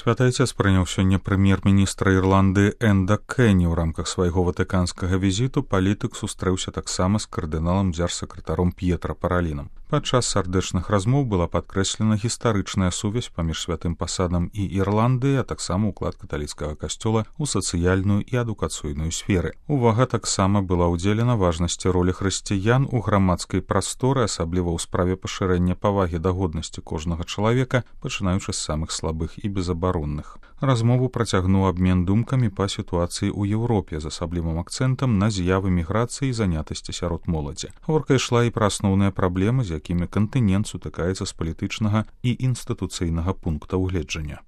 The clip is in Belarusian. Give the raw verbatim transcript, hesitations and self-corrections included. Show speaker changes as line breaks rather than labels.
Святы Айцец прыняў сёння прэм'ер-міністра Ірландыі Энда Кэні. У рамках свайго ватыканскага візіту палітык сустрэўся таксама з кардыналам дзяржсакратаром П'етра Паралінам. Падчас сардэчных размоў была падкрэслена гістарычная сувязь паміж святым пасадам і Ірландыяй, а таксама ўклад каталіцкага касцёла ў сацыяльную і адукацыйную сферы. Увага таксама была ўдзелена важнасці ролі хрысціян у грамадскай прасторы, асабліва ў справе пашырэння павагі да годнасці кожнага чалавека, пачынаючы з самых слабых і безабаронных. Размову працягнуў абмен думкамі па сітуацыі ў Еўропе з асаблівым акцэнтам на з'явы міграцыі і занятасці сярод моладзі. Гаворка ішла і пра асноўныя праблемы, з якімі кантынент сутыкаецца з палітычнага і інстытуцыйнага пункта ўгледжання.